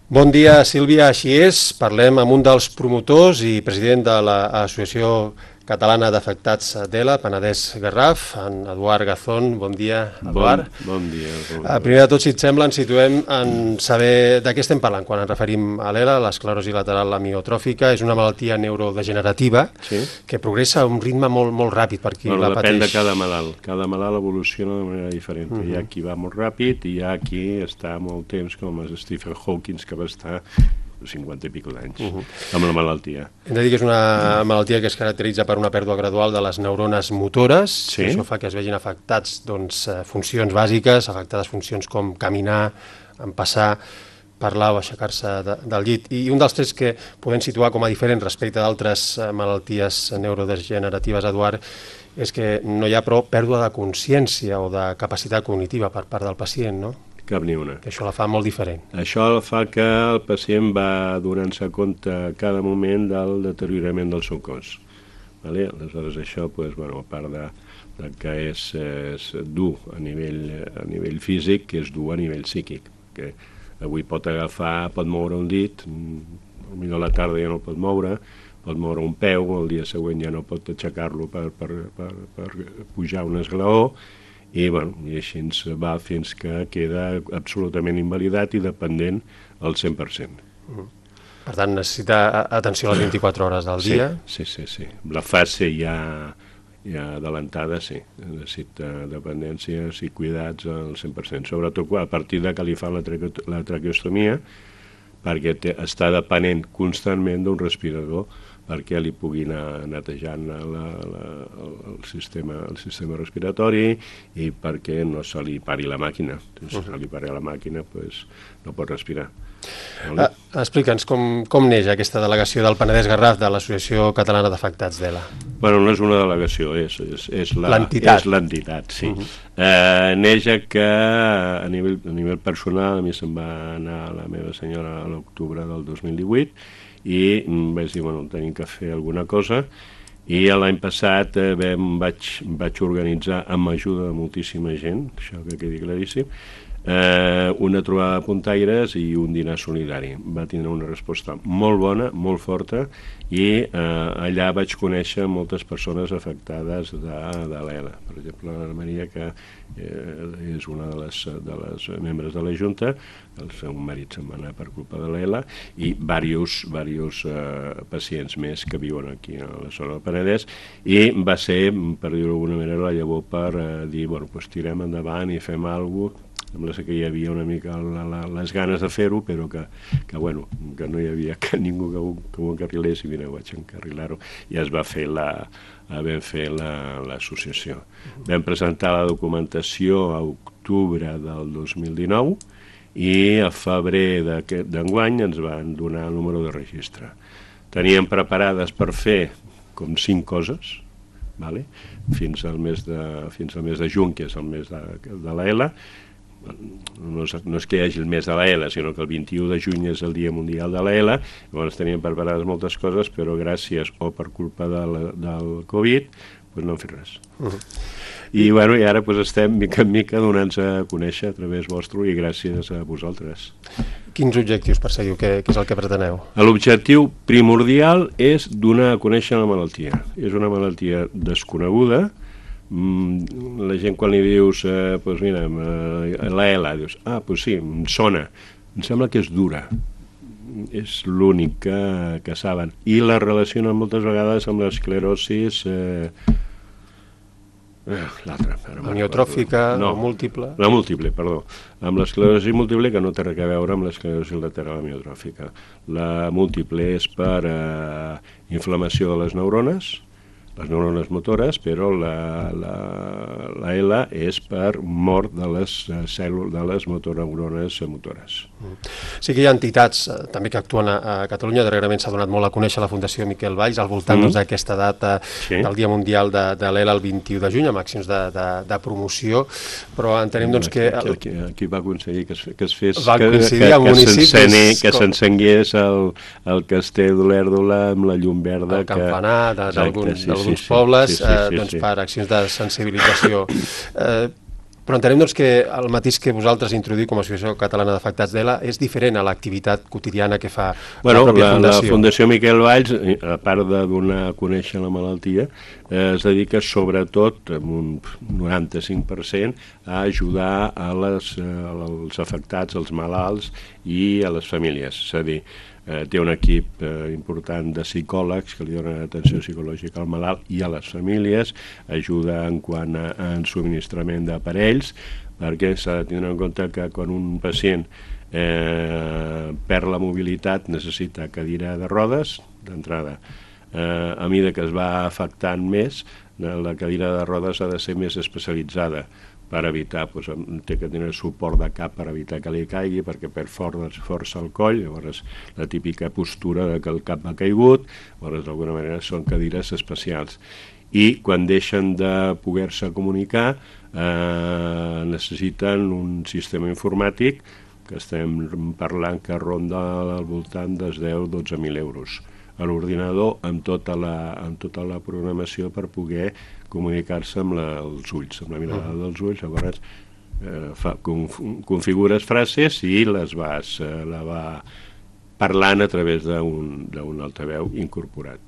Bon dia, Sílvia, així és. Parlem amb un dels promotors i president de l'Associació Catalana d'Afectats d'ELA, Penedès Garraf, en Eduard Gazón. Bon dia, Eduard. Bon dia. Primer de tot, si et sembla, ens situem en saber de què estem parlant quan ens referim a l'ELA. L'esclerosi lateral amiyotròfica és una malaltia neurodegenerativa que progressa a un ritme molt ràpid per qui la pateix. Depèn de cada malalt. Cada malalt evoluciona de manera diferent. Hi ha qui va molt ràpid i hi ha qui està molt temps, com és Stephen Hawking, que va estar 50 i pico d'anys amb la malaltia. Hem de dir que és una malaltia que es caracteritza per una pèrdua gradual de les neurones motores, i això fa que es vegin afectats funcions bàsiques, afectades funcions com caminar, empassar, parlar o aixecar-se del llit. I un dels trets que podem situar com a diferent respecte d'altres malalties neurodegeneratives, Eduard, és que no hi ha prou pèrdua de consciència o de capacitat cognitiva per part del pacient, no? Cap ni una. Que això la fa molt diferent. Això fa que el pacient va donant-se compte a cada moment del deteriorament del seu cos. Aleshores això, a part de que és dur a nivell físic, que és dur a nivell psíquic. Que avui pot moure un dit, potser a la tarda ja no pot moure un peu, el dia següent ja no pot aixecar-lo per pujar un esglaó, i així ens va fins que queda absolutament invalidat i dependent al 100%. Per tant, necessita atenció a les 24 hores del dia? Sí. La fase ja adelantada, sí. Necessita dependència i cuidats al 100%. Sobretot a partir de que li fan la traqueostomia, perquè està depenent constantment d'un respirador perquè li pugui anar netejant el sistema respiratori i perquè no se li pari la màquina. Si se li pari la màquina, no pot respirar. Explica'ns com neix aquesta delegació del Penedès Garraf de l'Associació Catalana d'Afectats d'ELA. No és una delegació, és l'entitat, sí. Neix que a nivell personal a mi se'm va anar la meva senyora a l'octubre del 2018 i vaig dir, tenim que fer alguna cosa, i l'any passat vaig organitzar amb ajuda de moltíssima gent, això que quedi claríssim, una trobada de puntaires i un dinar solidari. Va tindre una resposta molt bona, molt forta, i allà vaig conèixer moltes persones afectades de l'ELA. Per exemple, la Maria, que és una de les membres de la Junta, el seu marit se'n va anar per culpa de l'ELA, i diversos pacients més que viuen aquí a la zona del Penedès, i va ser, per dir-ho d'alguna manera, la llavor per dir, tirem endavant i fem alguna cosa. Sembla que hi havia una mica les ganes de fer-ho, però que no hi havia ningú que ho encarrilés, i vaig encarrilar-ho, i es va fer l'associació. Vam presentar la documentació a octubre del 2019 i a febrer d'enguany ens van donar el número de registre. Teníem preparades per fer com 5 coses, fins al mes de juny, que és el mes de l'ELA. No és que hi hagi el mes de l'ELA, sinó que el 21 de juny és el Dia Mundial de l'ELA. Llavors teníem preparades moltes coses, però gràcies o per culpa del Covid no hem fet res. I ara estem mica en mica donant-nos a conèixer a través vostre i gràcies a vosaltres. Quins objectius perseguiu? Què és el que preteneu? L'objectiu primordial és donar a conèixer la malaltia. És una malaltia desconeguda. La gent quan li dius l'ELA, dius, sí, em sona, em sembla que és dura, és l'únic que saben, i la relacionen moltes vegades amb l'esclerosis amiotròfica o múltiple? La múltiple, perdó, amb l'esclerosi múltiple, que no té res a veure amb l'esclerosi lateral amiotròfica. La múltiple és per inflamació de les neurones motores, però la ELA és per mort de les cèl·lules de les motoneurones motores. Sí que hi ha entitats també que actuen a Catalunya. Darrerament s'ha donat molt a conèixer la Fundació Miquel Valls al voltant d'aquesta data del Dia Mundial de l'ELA el 21 de juny, amb accions de promoció, però entenem que... Qui va aconseguir que es fes... Va coincidir amb municipis... Que s'encengués el castell d'Olèrdola amb la llum verda... El campanar d'alguns pobles per accions de sensibilització. Però entenem doncs, que el matís que vosaltres introduïu com a Associació Catalana d'Afectats d'ELA és diferent a l'activitat quotidiana que fa la pròpia Fundació. La Fundació Miquel Valls, a part de donar a conèixer la malaltia, es dedica sobretot, amb un 95%, a ajudar als afectats, als malalts i a les famílies. És a dir, té un equip important de psicòlegs que li donen atenció psicològica al malalt i a les famílies, ajuda en quant a subministrament d'aparells, perquè s'ha de tenir en compte que quan un pacient perd la mobilitat necessita cadira de rodes d'entrada. A mesura que es va afectant més, la cadira de rodes ha de ser més especialitzada per evitar, té que tenir suport de cap per evitar que li caigui, perquè perd força al coll, llavors la típica postura de que el cap ha caigut, llavors d'alguna manera són cadires especials. I quan deixen de poder-se comunicar necessiten un sistema informàtic que estem parlant que ronda al voltant dels 10-12.000 euros a l'ordinador amb tota la programació per poder comunicar-se amb els ulls, amb la mirada dels ulls. Llavors configures frases i la va parlant a través d'un altaveu incorporat.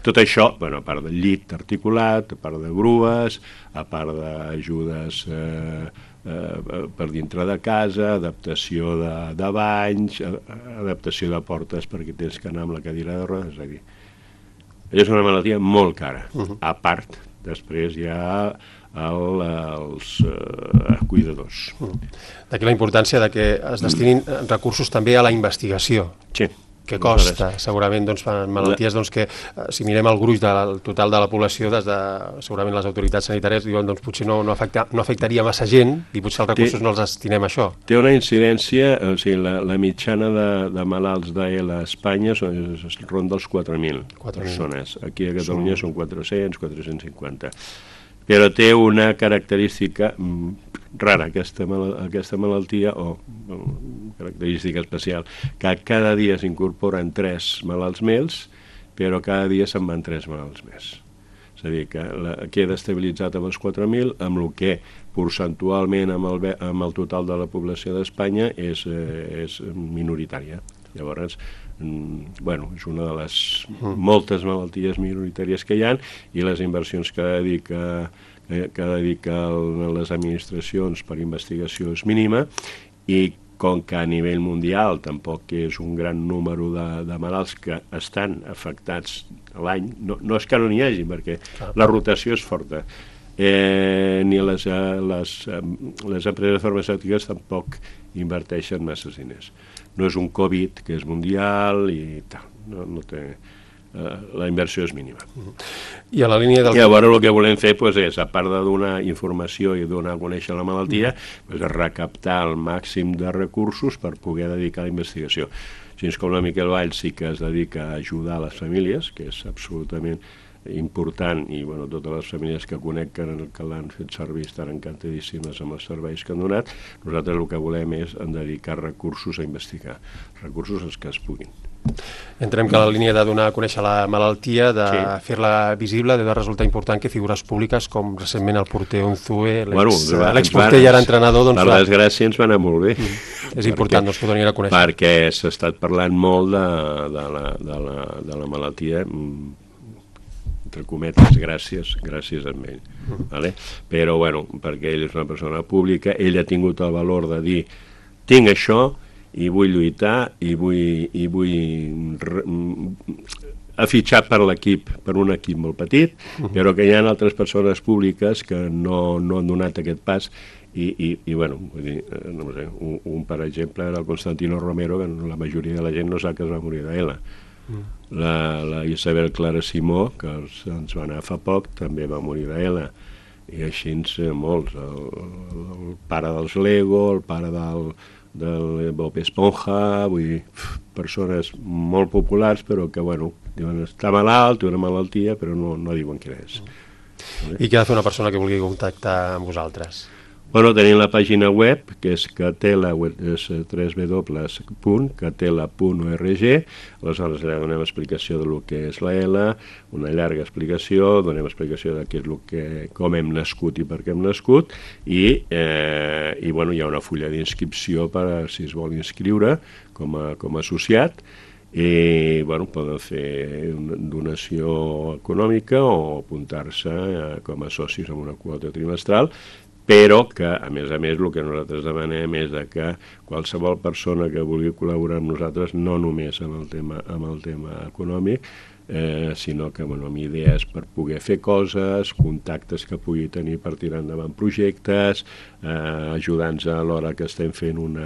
Tot això, a part del llit articulat, a part de grues, a part d'ajudes per dintre de casa, adaptació de banys, adaptació de portes perquè tens que anar amb la cadira de rodes, és a dir, és una malaltia molt cara. A part, després hi ha els cuidadors. D'aquí la importància de que es destinin recursos també a la investigació. Sí. Que costa, segurament, malalties que, si mirem el gruix del total de la població, segurament les autoritats sanitàries diuen potser no afectaria massa gent i potser els recursos no els destinem a això. Té una incidència, o sigui, la mitjana de malalts d'ELA a Espanya ronda els 4.000 persones. Aquí a Catalunya són 400, 450. Però té una característica rara, aquesta malaltia, o característica especial, que cada dia s'incorporen 3 malalts més, però cada dia se'n van 3 malalts més. És a dir, que queda estabilitzat amb els 4.000, amb el que percentualment amb el total de la població d'Espanya és minoritària. Llavors, és una de les moltes malalties minoritàries que hi ha i les inversions que dediquen les administracions per investigació és mínima i com que a nivell mundial tampoc és un gran número de malalts que estan afectats a l'any, no és que no n'hi hagi, perquè la rotació és forta, ni les empreses farmacèutiques tampoc inverteixen massa diners. No és un Covid, que és mundial i tal, no té... La inversió és mínima. I a la línia del... I llavors el que volem fer és, a part de donar informació i donar a conèixer la malaltia, és recaptar el màxim de recursos per poder dedicar a la investigació. Així com la Miquel Valls sí que es dedica a ajudar les famílies, que és absolutament important, i totes les famílies que conec que l'han fet servir estan encantadíssimes amb els serveis que han donat. Nosaltres el que volem és dedicar recursos a investigar, recursos els que es puguin. Entenem que la línia de donar a conèixer la malaltia, de fer-la visible, de resultar important que figures públiques com recentment el porter Unzué, l'exporter i ara entrenador... Per desgràcia ens va anar molt bé. És important que ho donin a conèixer. Perquè s'ha estat parlant molt de la malaltia, entre cometes, gràcies a ell. Però, perquè ell és una persona pública, ell ha tingut el valor de dir tinc això i vull lluitar i vull afitxar per l'equip, per un equip molt petit, però que hi ha altres persones públiques que no han donat aquest pas i vull dir, no sé, un per exemple era el Constantino Romero, que la majoria de la gent no sap que es va morir d'ELA. La Isabel Clara Simó, que ens va anar fa poc, també va morir d'ELA, i així molts, el pare dels Lego, el pare del Bob Esponja, vull dir, persones molt populars, però que, diuen, està malalt, té una malaltia, però no diuen què és. I què ha de fer una persona que vulgui contactar amb vosaltres? Bueno, tenim la pàgina web, que és Catela, és www.catela.org. Aleshores, allà donem explicació del que és la L, una llarga explicació, donem explicació de què és com hem nascut i per què hem nascut, i bueno, hi ha una fulla d'inscripció per si es vol inscriure com a associat, i bueno, poden fer una donació econòmica o apuntar-se com a socis amb una quota trimestral, però que, a més, el que nosaltres demanem és que qualsevol persona que vulgui col·laborar amb nosaltres, no només amb el tema econòmic, sinó que amb idees per poder fer coses, contactes que pugui tenir per tirar endavant projectes, ajudants a l'hora que estem fent un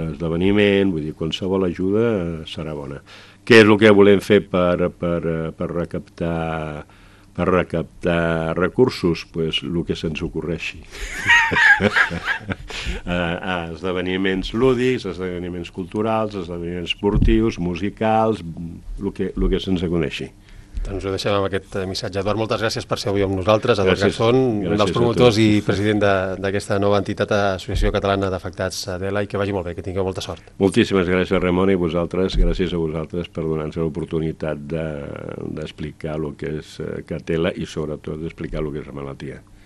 esdeveniment, vull dir, qualsevol ajuda serà bona. Què és el que volem fer per recaptar recursos? Pues el que se'ns ocorreixi. Esdeveniments lúdics, esdeveniments culturals, esdeveniments esportius, musicals, el que se'ns aconeixi. Doncs ho deixem amb aquest missatge. Eduard, moltes gràcies per ser avui amb nosaltres. Eduard Garzón, un dels promotors i president d'aquesta nova entitat, Associació Catalana d'Afectats d'ELA, i que vagi molt bé, que tingueu molta sort. Moltíssimes gràcies, Ramon, i gràcies a vosaltres per donar-nos l'oportunitat d'explicar el que és Catela i sobretot d'explicar el que és la malaltia.